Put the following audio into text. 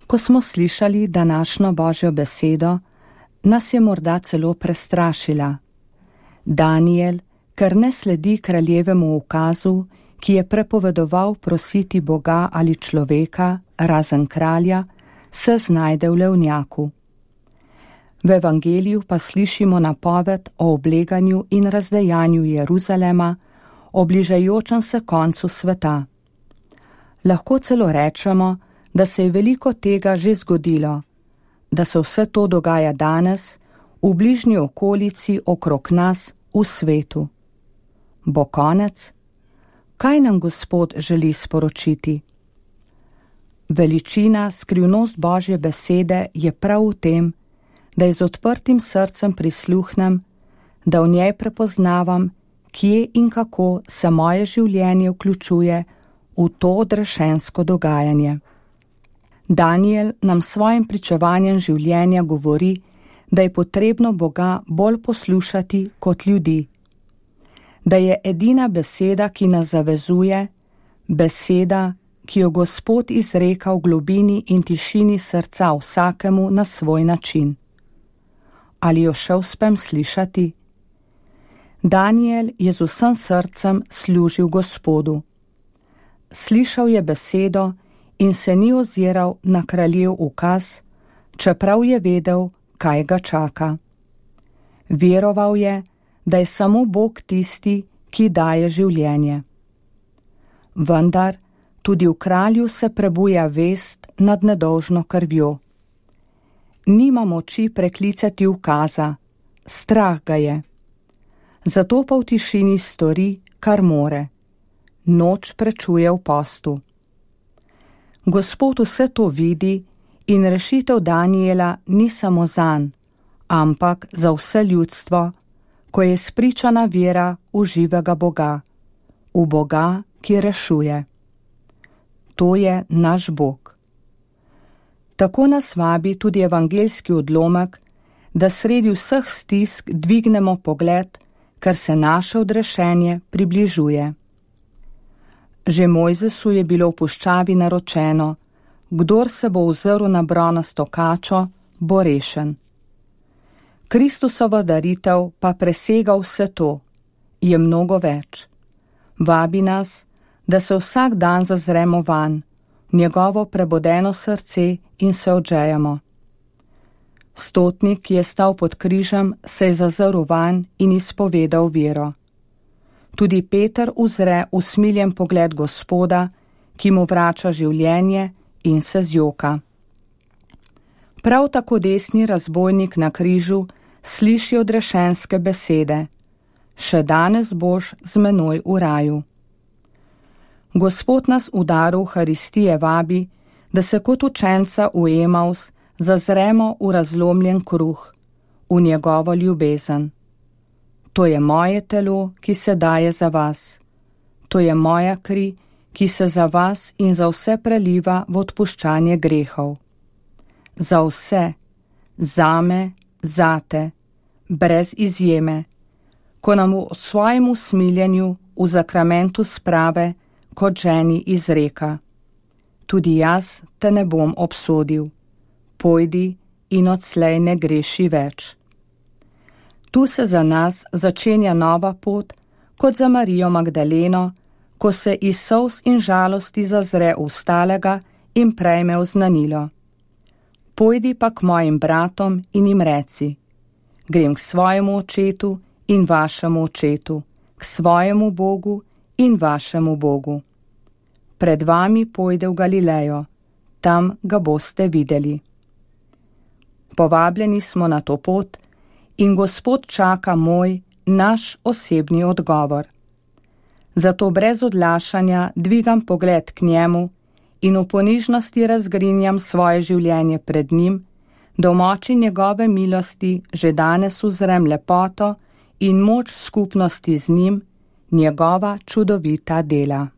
Ko smo slišali današnjo Božjo besedo, nas je morda celo prestrašila. Daniel, ker ne sledi kraljevemu ukazu, ki je prepovedoval prositi Boga ali človeka, razen kralja, se znajde v levnjaku. V evangeliju pa slišimo napoved o obleganju in razdejanju Jeruzalema, o bližajočem se koncu sveta. Lahko celo rečemo, da se je veliko tega že zgodilo, da se vse to dogaja danes, v bližnji okolici okrog nas, v svetu. Bo konec? Kaj nam Gospod želi sporočiti? Veličina, skrivnost Božje besede je prav v tem, da je z odprtim srcem prisluhnem, da v njej prepoznavam, kje in kako se moje življenje vključuje v to odrešensko dogajanje. Daniel nam svojim pričevanjem življenja govori, da je potrebno Boga bolj poslušati kot ljudi. Da je edina beseda, ki nas zavezuje, beseda, ki jo Gospod izreka v globini in tišini srca vsakemu na svoj način. Ali jo še uspem slišati? Daniel je z vsem srcem služil Gospodu. Slišal je besedo in se ni oziral na kraljev ukaz, čeprav je vedel, kaj ga čaka. Veroval je, da je samo Bog tisti, ki daje življenje. Vendar tudi v kralju se prebuja vest nad nedolžno krvjo. Nima moči preklicati ukaza, strah ga je. Zato pa v tišini stori, kar more. Noč prečuje v postu. Gospod vse to vidi in rešitev Daniela ni samo zanj, ampak za vse ljudstvo, ko je spričana vera v živega Boga, v Boga, ki rešuje. To je naš Bog. Tako nas vabi tudi evangeljski odlomek, da sredi vseh stisk dvignemo pogled, ker se naše odrešenje približuje. Že Mojzesu je bilo v puščavi naročeno, kdor se bo ozrl na bronasto kačo, bo rešen. Kristusova daritev pa presega vse to, je mnogo več. Vabi nas, da se vsak dan zazremo vanj, njegovo prebodeno srce in se odžejemo. Stotnik, ki je stal pod križem, se je zazrl vanj in izpovedal vero. Tudi Peter uzre usmiljen pogled Gospoda, ki mu vrača življenje in se zjoka. Prav tako desni razbojnik na križu sliši odrešenske besede: še danes boš z menoj v raju. Gospod nas v daru Euharistije vabi, da se kot učenca v Emaus zazremo v razlomljen kruh, v njegovo ljubezen. To je moje telo, ki se daje za vas. To je moja kri, ki se za vas in za vse preliva v odpuščanje grehov. Za vse, zame, zate, brez izjeme, ko nam v svojem usmiljenju v zakramentu sprave kot ženi izreka: tudi jaz te ne bom obsodil, pojdi in odslej ne greši več. Tu se za nas začenja nova pot, kot za Marijo Magdaleno, ko se iz solz in žalosti zazre v stalega in prejme oznanilo: pojdi pa k mojim bratom in jim reci: grem k svojemu očetu in vašemu očetu, k svojemu Bogu in vašemu Bogu. Pred vami pojde v Galilejo, tam ga boste videli. Povabljeni smo na to pot in Gospod čaka moj, naš osebni odgovor. Zato brez odlašanja dvigam pogled k njemu in v ponižnosti razgrinjam svoje življenje pred njim, da v moči njegove milosti že danes uzrem lepoto in moč skupnosti z njim, njegova čudovita dela.